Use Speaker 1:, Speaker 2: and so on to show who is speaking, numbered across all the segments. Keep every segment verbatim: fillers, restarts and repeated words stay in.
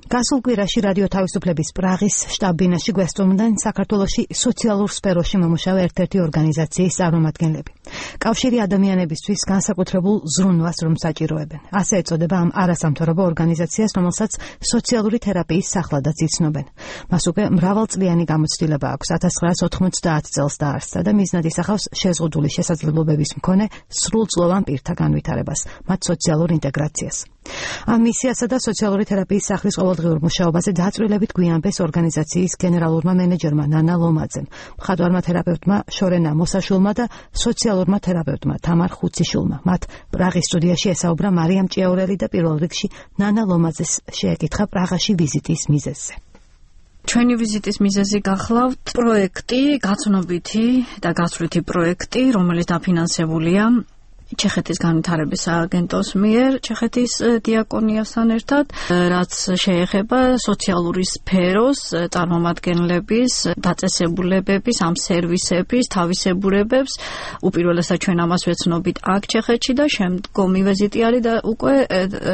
Speaker 1: გასულ კვირაში რადიო თავისუფლების პრაღის შტაბ-ბინაში გვესწრებოდნენ საქართველოში სოციალურ სფეროში მომუშავე ერთ-ერთი ორგანიზაციის წარმომადგენლები. კავშირი ადამიანებისთვის განსაკუთრებულ ზრუნვას რომ საჭიროებენ. ასე ეწოდება ამ არასამთავრობო ორგანიზაციას, რომელსაც სოციალური თერაპიის სახლადაც იცნობენ. მას უკვე მრავალწლიანი გამოცდილება აქვს. ათას ცხრაას ოთხმოცდაათ წელს დაარსდა და მიზნად ისახავს შეზღუდული შესაძლებლობების მქონე სრულწლოვან პირთა განვითარებას, მათ სოციალურ ინტეგრაციას. ამ მისიასა და სოციალური თერაპიის სახლის ყოველდღიურ მუშაობაზე დაწვრილებით გვიანბეს ორგანიზაციის გენერალურმა მენეჯერმა ნანა ლომაძემ, მხატვარმა თერაპევტმა შორენა მოსაშულმა და სოციალურმა თერაპევტმა თამარ ხუციშულმა. მათ პრაღის სტუდიაში ესაუბრა მარიამ ჭიაურელი და პირველ რიგში ნანა ლომაძეს შეეკითხა პრაღაში ვიზიტის მიზეზზე.
Speaker 2: ჩვენი ვიზიტის მიზეზი გახლავთ პროექტი, გაცნობითი და გასვლითი პროექტი, რომელიც დაფინანსებულია ჩეხეთის განვითარების სააგენტოს მიერ, ჩეხეთის დიაკონიასთან ერთად, რაც შეეხება სოციალური სფეროს წარმომადგენლების, დაწესებულებების, ამ სერვისების თავისებურებებს. უპირველესად ჩვენ ამას ვეცნობით აქ ჩეხეთში და შემდგომი ვიზიტი არის და უკვე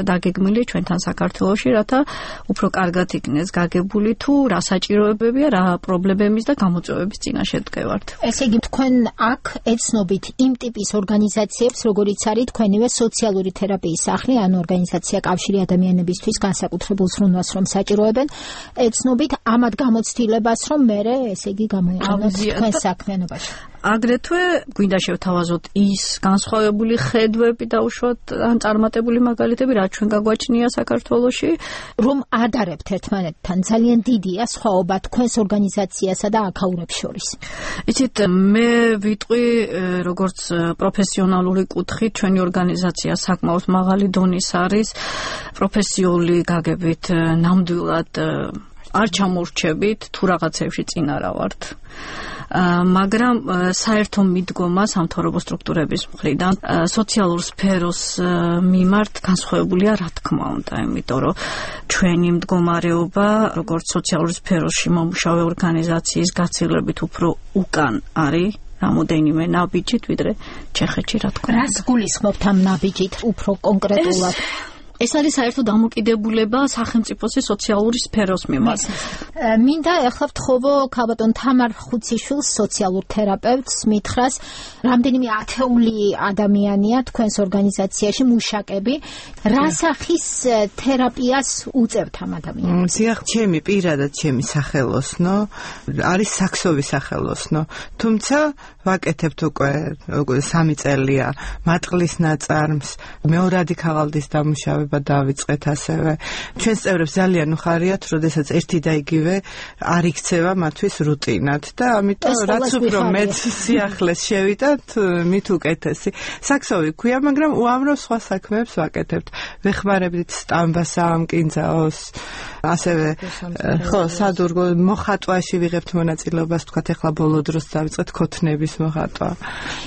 Speaker 2: დაგეგმილი ჩვენთან საქართველოში, რათა უფრო კარგად იქნეს გაგებული თუ რა საჭიროებებია, რა პრობლემების და გამოწვევების წინაშე დგევართ.
Speaker 3: ესე იგი, თქვენ აქ ეცნობით იმ ტიპის ორგანიზაციებს, როგორც არის თქვენივე სოციალური თერაპიის სახლი, ან ორგანიზაცია კავშირი ადამიანებისთვის განსაკუთრებულ ზრუნვას რომ საჭიროებენ, ეცნობით ამათ გამოცდილებას, რომ მერე, ესე იგი, გამოიყენოთ თქვენ საქმიანობაში.
Speaker 2: აგრეთვე გვინდა შევთავაზოთ ის განსხვავებული ხედვები და უშუალოდ ან წარმატებული მაგალითები, რაც ჩვენ გაგვაჩნია საქართველოში,
Speaker 3: რომ ადარებთ ერთმანეთთან. ძალიან დიდია სხვაობა თქვენს ორგანიზაციასა და აქაურებს შორის.
Speaker 2: იცით, მე ვიტყვი, როგორც პროფესიონალური კუთხით, ჩვენი ორგანიზაცია საკმაოდ მაღალი დონის არის, პროფესიული გაგებით ნამდვილად არ ჩამორჩებით, თუ რაღაცებში წინ არა ვართ. მაგრამ საერთო მიდგომა სამთავრობო სტრუქტურების მხრიდან სოციალურ სფეროს მიმართ განსხვავებულია, რა თქმა უნდა, იმიტომ რომ ჩვენი მდგომარეობა, როგორც სოციალურ სფეროში მომუშავე ორგანიზაციის გაცილებით უფრო უკან არის რამოდენიმე ნაბიჯით, ვიდრე ჩეხეთში, რა თქმა უნდა.
Speaker 3: რას გულისხმობთ ამ ნაბიჯით უფრო კონკრეტულად?
Speaker 2: ეს არის საერთო დამოკიდებულება სახელმწიფოს სოციალური სფეროს მიმართ.
Speaker 3: მინდა ახლა ვთხოვო ქალბატონ თამარ ხუციშვილს, სოციალურ თერაპევტს, მითხრას, რამდენიმე ათეული ადამიანია თქვენს ორგანიზაციაში მუშაკები, რა სახის თერაპიას უწევთ ამ ადამიანებს?
Speaker 4: ზიახ, ჩემი პირადად ჩემი სახელოსნო არის საქსოვი სახელოსნო, თუმცა ვაკეთებთ უკვე სამი წელია მატყლის ნაწარმს, მეორადი ქაღალდის დამუშავება დავიწყეთ ასევე. ჩვენს წევრებს ძალიან უხარიათ, როდესაც ერთი და იგივე არ იქცევა მათთვის რუტინად და ამიტომ რაც უფრო მეტ სიახლეს შევიდათ, მით უკეთესი. საქსოვი ქვია, მაგრამ უამრავ სხვა საქმეებს ვაკეთებთ. ვეხმარებით სტამბას ამკინძაოს, ასევე ხო, სადურგო მოხატვაში ვიღებთ მონაწილეობას, თქვათ ახლა ბოლო დროს დავიწყეთ ქოთნების მოხატვა.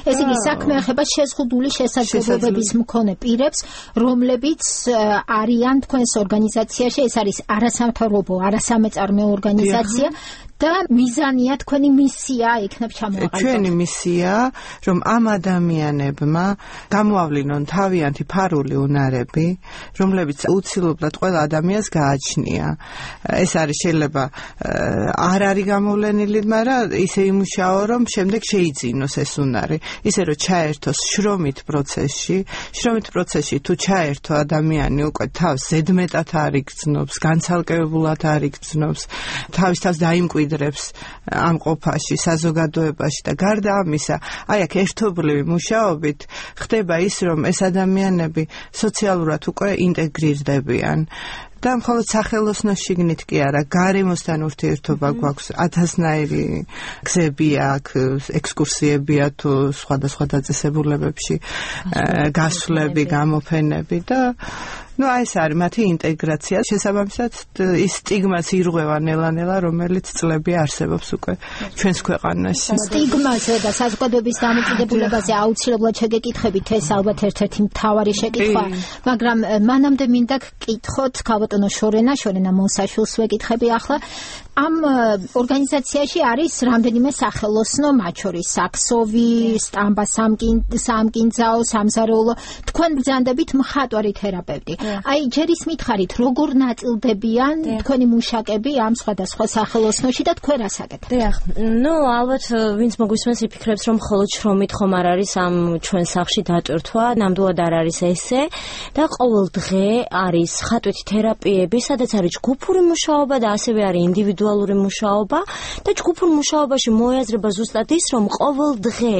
Speaker 3: ეს იგი საქმე ეხება შეზღუდული შესაძლებლობების მქონე პირებს, რომლებიც არიან თქვენს ორგანიზაციაში, ეს არის არასამთავრობო, არასამეწარმეო ორგანიზაცია და მიზანია, თქვენი მისია იქნებ ჩამოაყალიბოთ.
Speaker 4: ჩვენი მისია, რომ ამ ადამიანებმა გამოავლინონ თავიანთი ფარული უნარები, რომლებიც უცილებლად ყველა ადამიანს გააჩნია. ეს არის შეიძლება არ არის გამოვლენილი, მაგრამ ისე იმუშაო, რომ შემდეგ შეიძინოს ეს უნარი, ისე რომ ჩაერთოს შრომით პროცესში, შრომით პროცესში თუ ჩაერთო ადამიანი უკვე თავს ზედმეტად არ იგრძნობს, განცალკევებულად არ იგრძნობს, თავის თავს დაიმკვიდრებს ამ ყოფაში, საზოგადოებაში და გარდა ამისა, აი აქ ერთობლივი მუშაობით ხდება ის, რომ ეს ადამიანები სოციალურად უკვე ინტეგრირდებიან. და მხოლოდ სახელოსნოს შიგნით კი არა, გარემოსთან ურთიერთობა გვაქვს, ათასნაირი გზები აქვს, ექსკურსიებია თუ სხვადასხვა დაწესებულებებში გასვლები, გამოფენები და ну აი ეს არის მათი ინტეგრაცია, შესაბამისად ის სტიგმას ირღვევა ნელა-ნელა, რომელიც წლები არსებობს უკვე ჩვენს ქვეყანაში.
Speaker 3: სტიგმაზე და საზოგადოების დამოკიდებულებაზე აუცილებლად შეგეკითხებით, ეს ალბათ ერთ-ერთი მთავარი შეკითხვა, მაგრამ მანამდე მინდა გკითხოთ ქალბატონო შორენა, შორენა მოსაშვილს ვეკითხები ახლა. ამ ორგანიზაციაში არის რამდენიმე სახელოსნო, მათ შორის საქსოვი, სტამბა სამკინძაო, სამზარეულო, თქვენ ბრძანდებით მხატვარი თერაპევტი. აი ჯერ ის მითხარით, როგორ ნაწილდებიან თქვენი მუშაკები ამ სხვადასხვა სახელოსნოში და თქვენ რას აკეთებთ?
Speaker 5: დიახ, ნუ ალბათ ვინც მოგისმენს იფიქრებს, რომ მხოლოდ შრომით ხომ არ არის ამ ჩვენ სახლში დატვირთვა, ნამდვილად არ არის ესე და ყოველ დღე არის ხატვითი თერაპიები, სადაც არის ჯგუფური მუშაობა და ასევე არის ინდივიდუალური მუშაობა და ჯგუფურ მუშაობაში მოიაზრება ზუსტად ის, რომ ყოველ დღე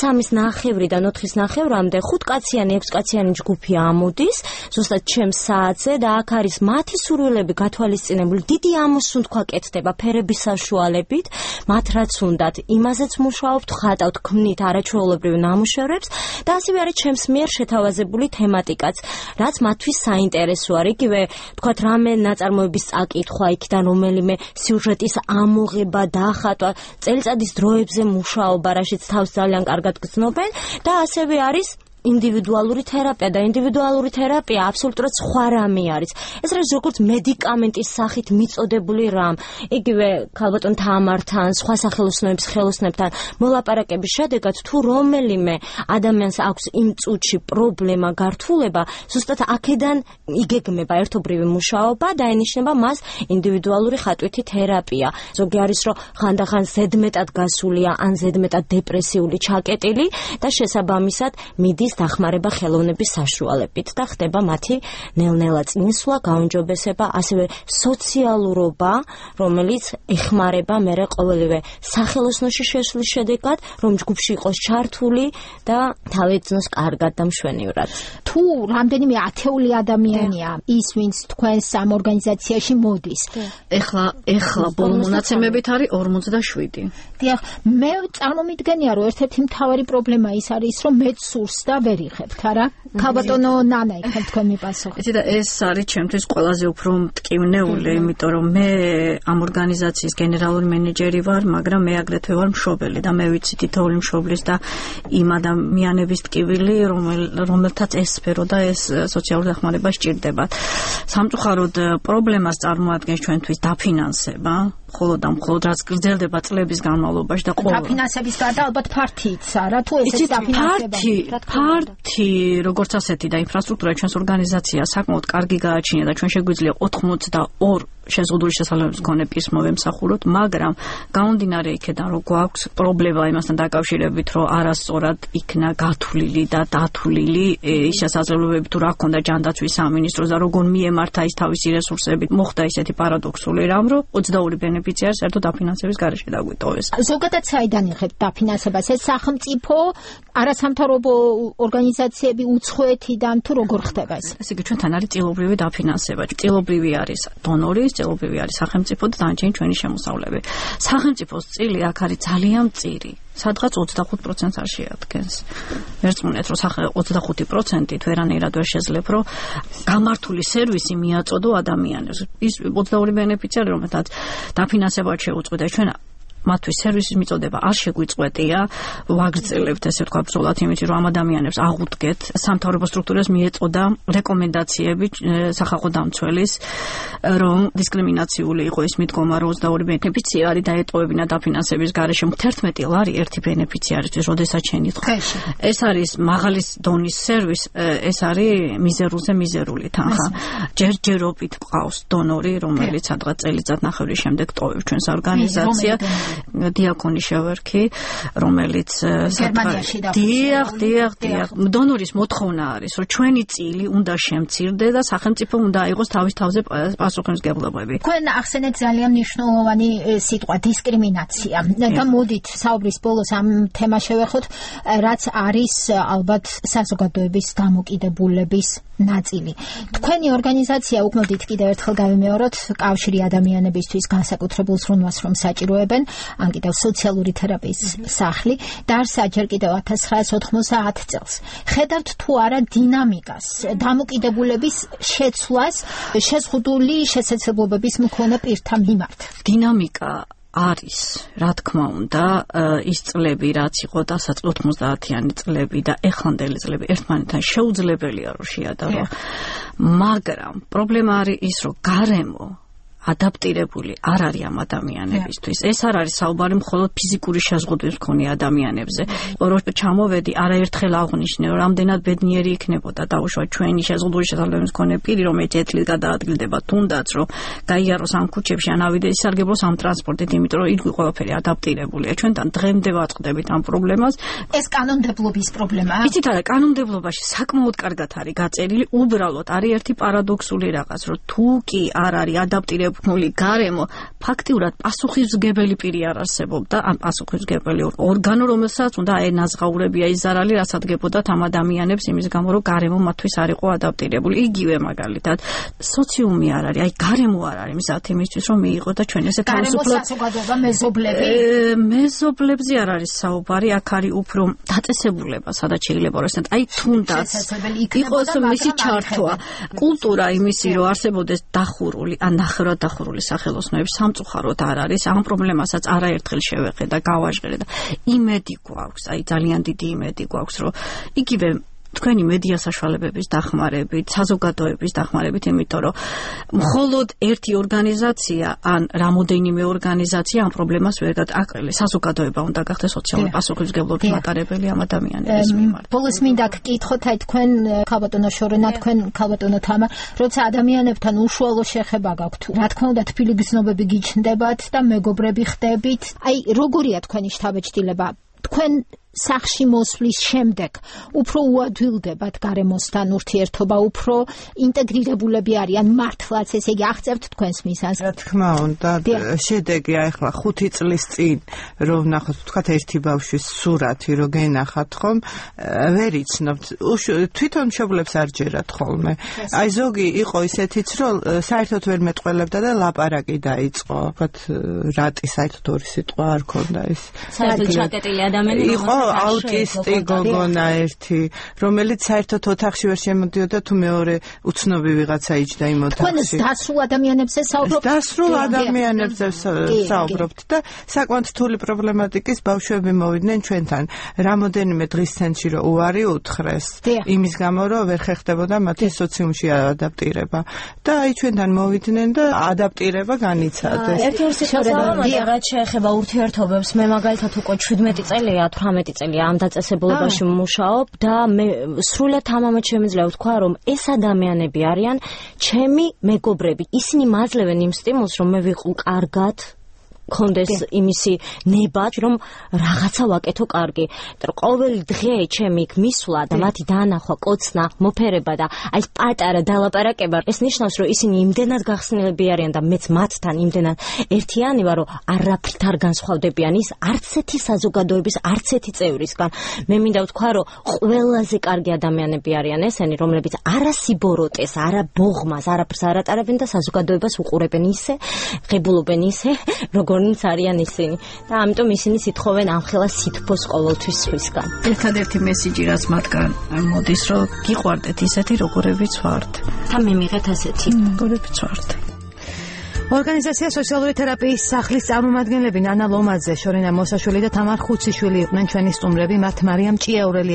Speaker 5: სამის ნახევრიდან ოთხის ნახევრამდე ხუთკაციანი, ექვსკაციანი ჯგუფი ამოდის, ზუსტად ჩემს საათზე და აქ არის მათი სურვილები გათვალისწინებული, დიდი ამოსუნთქვა კეთდება ფერების საშუალებით, მათ რაც უნდათ, იმაზეც მუშაობთ, ხატავთ, ქმნით არაჩვეულებრივ ნამუშევრებს და ასევე არის ჩემს მიერ შეთავაზებული თემატიკაც, რაც მათთვის საინტერესო არის, იგივე თქვათ რამე ნაწარმოების წაკითხვა, იქიდან რომელიმე სიუჟეტის ამოღება, დახატვა, წელიწადის დროებზე მუშაობა, რაშიც თავს ძალიან კარგად გრძნობენ და ასევე არის ინდივიდუალური თერაპია და ინდივიდუალური თერაპია აბსოლუტურად სხვა რამე არის. ეს არის როგორც მედიკამენტის სახით მიწოდებული რამ. იგივე ქალბატონ თამართან, სხვა სახელოსნოების ხელოსნებთან მოლაპარაკების შედეგად თუ რომელიმე ადამიანს აქვს იმ წუთში პრობლემა, გართულება, ზუსტად აქედან იგეგმება ერთობრივი მუშაობა და ენიშნება მას ინდივიდუალური ხატვითი თერაპია. ზოგი არის რომ ხანდახან ზედმეტად გასულია ან ზედმეტად დეპრესიული ჩაკეტილი და შესაბამისად მიდის დახმარება ხელოვნების საშუალებით და ხდება მათი ნელ-ნელა წინსვლა, გაუმჯობესება, ასევე სოციალურობა, რომელიც ეხმარება მერე ყოველივე სახელოსნოში შესვლის შედეგად, რომ ჯგუფში იყოს ჩართული და თავი ეცნოს კარგად და მშვენივრად.
Speaker 3: თუ რამდენიმე ათეული ადამიანია ის, ვინც თქვენს ამ ორგანიზაციაში მოდის.
Speaker 2: ეხლა ეხლა ბოლო მონაცემებით არის ორმოცდაშვიდი.
Speaker 3: დიახ, მე წარმომიდგენია, რომ ერთ-ერთი მთავარი პრობლემა ის არის, რომ მეც სურს და ვერ იხებთ, არა? ქალბატონო ნანა იქნებ თქვენ მიპასუხოთ.
Speaker 2: იცი და ეს არის ჩემთვის ყველაზე უფრო მტკივნეული, იმიტომ რომ მე ამ ორგანიზაციის გენერალური მენეჯერი ვარ, მაგრამ მე აგრეთვე ვარ მშობელი და მე ვიცი თითოეული მშობლის და იმ ადამიანების ტკივილი, რომელთაც ეს სფერო და ეს სოციალური დახმარება სჭირდებათ. სამწუხაროდ პრობლემას წარმოადგენს ჩვენთვის დაფინანსება, მხოლოდ და მხოლოდ რაც გრძელდება წლების განმავლობაში და ყოველ
Speaker 3: დაფინანსების გარდა ალბათ ფართიც არა, თუ ესეც დაფინანსება.
Speaker 2: ფართი, როგორც ასეთი და ინფრასტრუქტურა ჩვენს ორგანიზაციას საკმაოდ კარგი გააჩნია და ჩვენ შეგვიძლია ოთხმოცდაორი შეზღუდული შესაძლებლობის მქონე პირს მოვემსახუროთ, მაგრამ გამომდინარე იქედან, რომ გვაქვს პრობლემა იმასთან დაკავშირებით, რომ არასწორად იქნა გათვლილი და დათვლილი ის შესაძლებლობები, თუ რა ქონდა ჯანდაცვის სამინისტროს და როგორ მიემართა ის თავისი რესურსებით, მოხდა ისეთი პარადოქსული რამ, რომ ოცდაორი ბენეფიციარი საერთოდ დაფინანსების გარეშე დაგვიტოვეს.
Speaker 3: ზოგადად საიდან იღებთ დაფინანსებას? ეს სახელმწიფო, არასამთავრობო ორგანიზაციები, უცხოეთიდან თუ როგორ ხდება ეს?
Speaker 2: ესე იგი ჩვენთან არის წილობრივი დაფინანსება. წილობრივი არის დონორი, წილობრივი არის სახელმწიფო და დანარჩენი ჩვენი შემოსავლები. სახელმწიფოს წილი აქ არის ძალიან მწირი. სადღაც ოცდახუთ პროცენტს არ შეადგენს. ვერწმუნეთ, რომ ოცდახუთი პროცენტით ვერანაირად ვერ შეძლებ, რომ გამართული სერვისი მიაწოდო ადამიანებს. ის ოცდაორი ბენეფიციარი, რომელთაც დაფინანსება შეუწყვეტა, ჩვენ მათთვის სერვისის მიწოდება არ შეგვიწყვეტია, ვაგრძელებთ ესე ვთქვა ბრძოლად იმით, რომ ამ ადამიანებს აღუდგეთ. სამთავრობო სტრუქტურას მიეწოდა რეკომენდაციები სახალხო დამცველის, რომ დისკრიმინაციული იყო ის მიდგომა, რომ ოცდაორი ბენეფიციარი დაეტოვებინა დაფინანსების გარეშე თერთმეტი ლარი ერთი ბენეფიციარისთვის, როდესაც შენით. ეს არის მაღალი დონის სერვის, ეს არის მიზერულზე მიზერული თანხა. ჯერჯერობით ყავს დონორი, რომელიც სადღაც წელიწადნახევრის შემდეგ ტოვებს ჩვენს ორგანიზაციას. დიაკონი შევერქი, რომელიც დიახ, დიახ, დიახ. დონორის მოთხოვნა არის, რომ ჩვენი წილი უნდა შემცირდე და სახელმწიფო უნდა აიღოს თავის თავზე პასუხისმგებლობები.
Speaker 3: თქვენ ახსენეთ ძალიან მნიშვნელოვანი სიტყვა დისკრიმინაცია. და მოდით საუბრის ბოლოს ამ თემას შევეხოთ, რაც არის ალბათ საზოგადოების დამოკიდებულების ნაწილი. თქვენი ორგანიზაცია, უკმოდით კიდევ ერთხელ გავიმეოროთ, კავშირი ადამიანებისთვის განსაკუთრებულ ზრუნვას რომ საჭიროებენ, ან კიდევ სოციალური თერაპიის სახლი, დაარსა ჯერ კიდევ ათას ცხრაასი ოთხმოცდაათი წელს. ხედავთ თუ არა დინამიკას, დამოკიდებულების შეცვლას შეზღუდული შესაძლებლობების მქონე პირთა მიმართ?
Speaker 2: დინამიკა არის, რა თქმა უნდა, ის წლები, რაც იყო დასაწყ ოთხმოცდაათიანი წლები და ეხლანდელი წლები ერთმანეთთან შეუძლებელია რომ შეადარო. მაგრამ პრობლემა არის ის, რომ გარემო ადაპტირებული არ არის ამ ადამიანებისთვის. ეს არ არის საუბარი მხოლოდ ფიზიკური შეზღუდვების მქონე ადამიანებზე. რომ ჩამოვედი, არაერთხელ აღნიშნე, რომ რამდენად ბედნიერი იქნებოდა დაუშვა ჩვენი შეზღუდული შესაძლებლობის მქონე პირი, რომ ერთი წელი გადაადგილდება, თუნდაც რომ გაიაროს ამ ქუჩებში, ან ავიდეს ისარგებლოს ამ ტრანსპორტით, იმიტომ რომ იგი ყველაფერი ადაპტირებულია. ჩვენთან დღემდე ვაწყდებით ამ პრობლემას.
Speaker 3: ეს კანონმდებლობის პრობლემაა.
Speaker 2: იცით არა, კანონმდებლობაში საკმაოდ კარგად არის გაწერილი, უბრალოდ არის ერთი პარადოქსული რაღაც, რომ თუ კი არ არის ადაპტირებული გარემო, ფაქტიურად პასუხისმგებელი პირი არ არსებობდა, ან პასუხისმგებელი ორგანო, რომელსაც უნდა ენაზღაურებია ის ზარალი, რაც ადგენებოდათ ამ ადამიანებს იმის გამო, რომ გარემო მათთვის არ იყო ადაპტირებული. იგივე მაგალითად, სოციუმი არ არის, აი გარემო არ არის მზად იმისთვის, რომ მიიღო და ჩვენ ესე
Speaker 3: თავისუფლად საზოგადოება მეზობლები.
Speaker 2: მეზობლებზე არ არის საუბარი, აქ არის უფრო დაწესებულება, სადაც შეიძლება რომ ესეთ აი თუნდაც იყოს მისი ჩართვა, კულტურა იმისი, რომ არსებობდეს დახურული, ან ნახევრად დახურული სახელოსნოები სამწუხაროდ არ არის. ამ პრობლემასაც არაერთხელ შევეხე და გავაჟღერე და იმედი გვაქვს, აი ძალიან დიდი იმედი გვაქვს, რომ იგივე თქვენი მედია საშუალებების დახმარებით, საზოგადოების დახმარებით, იმიტომ რომ მხოლოდ ერთი ორგანიზაცია ან რამოდენიმე ორგანიზაცია ამ პრობლემას ვერ გადააკრელის. საზოგადოება უნდა გახდეს სოციალური პასუხისმგებლობის მატარებელი ამ ადამიანების მიმართ.
Speaker 3: ბოლოს მინდა გკითხოთ, აი თქვენ ქალბატონო შორენა, თქვენ ქალბატონო თამა, როცა ადამიანებთან უშუალო შეხება გაქვთ, რა თქმა უნდა თბილი გზნობები გიჩნდებათ და მეგობრები ხდებით. აი როგორია თქვენი შთაბეჭდილება? თქვენ სახში მოსვლის შემდეგ უფრო უადვილდებათ გარემოსთან ურთიერთობა, უფრო ინტეგრირებულები არიან მართლაც, ესე იგი აღწევთ თქვენს მისას.
Speaker 4: რა თქმა უნდა, შედეგი ახლა ხუთი წლის წინ რომ ნახოთ, თქვათ ერთი ბავშვის სურათი რო გენახათ ხომ, ვერ იცნობთ, თვითონ მშობლებს არ ჯერათ ხოლმე. აი ზოგი იყო ისეთიც, რომ საერთოდ ვერ მეტყველებდა და ლაპარაკი დაიწყო. ვთქვათ, რატი საერთოდ ორი სიტყვა არ ქონდა ის.
Speaker 5: საერთოდ ჩაკეტილი ადამიანი
Speaker 4: იყო აუტისტი გოგონა ერთი, რომელიც საერთოდ ოთახში ვერ შემოდიოდა, თუ მეორე უცნობი ვიღაცა იჯდა იმ ოთახში.
Speaker 3: თქვენ დასრულ ადამიანებზე საუბრობთ?
Speaker 4: დასრულ ადამიანებზე საუბრობთ და საკმაოდ რთული პრობლემატიკის ბავშვები მოვიდნენ ჩვენთან. რამოდენიმე დღის ცენტრში რომ უარი უთხრეს, იმის გამო რომ ვერ ხერხდებოდა მათი სოციუმში ადაპტირება. და აი ჩვენთან მოვიდნენ და ადაპტირება განიცადეს.
Speaker 5: ერთ-ერთი შესაძლებელი რაც შეეხება ურთიერთობებს, მე მაგალითად უკვე შვიდმეტი წელია, ათვრამეტი წელია ამ დაწესებულებაში მუშაობ და მე სრულად ამამად შემიძლია ვთქვა, რომ ეს ადამიანები არიან ჩემი მეგობრები. ისინი მაძლევენ იმ სტიმულს, რომ მე ვიყო კარგად, კონდეს იმისი ნება, რომ რაღაცა ვაკეთო კარგი. და ყოველი დღე ჩემი იქ მისვლა და მათი დაანახვა, კოცნა, მოფერება და აი პატარა დალაპარაკება, ეს ნიშნავს, რომ ისინი იმდენად გახსნილები არიან და მეც მათთან იმდენად ერთიანი ვარ, რომ არაფრით არ განსხვავდებიან ის არც ერთი საზოგადოების არც ერთი წევრისგან. მე მინდა ვთქვა, რომ ყველაზე კარგი ადამიანები არიან ესენი, რომლებიც არა სიბოროტეს, არა ბოღმას, არაფერს არ ატარებენ და საზოგადოებას უყურებენ ისე, ღებულობენ ისე, როგორ ნიც არიან ისინი და ამიტომ ისინი სითხოვენ ამხელა სითბოს ყოველთვის სხვისგან.
Speaker 2: ერთადერთი მესიჯი რაც მათგან მოდის, რომ გიყვარდეთ ისეთი როგორებიც ვართ
Speaker 5: და მე მიღეთ ასეთი
Speaker 2: როგორებიც ვართ.
Speaker 1: ორგანიზაცია სოციალური თერაპიის სახლის წარმომადგენლები ნანა ლომაძე, შორენა მოსაშვილი და თამარ ხუციშვილი იყვნენ ჩვენი სტუმრები. მათ მარიამ ჭიაურელი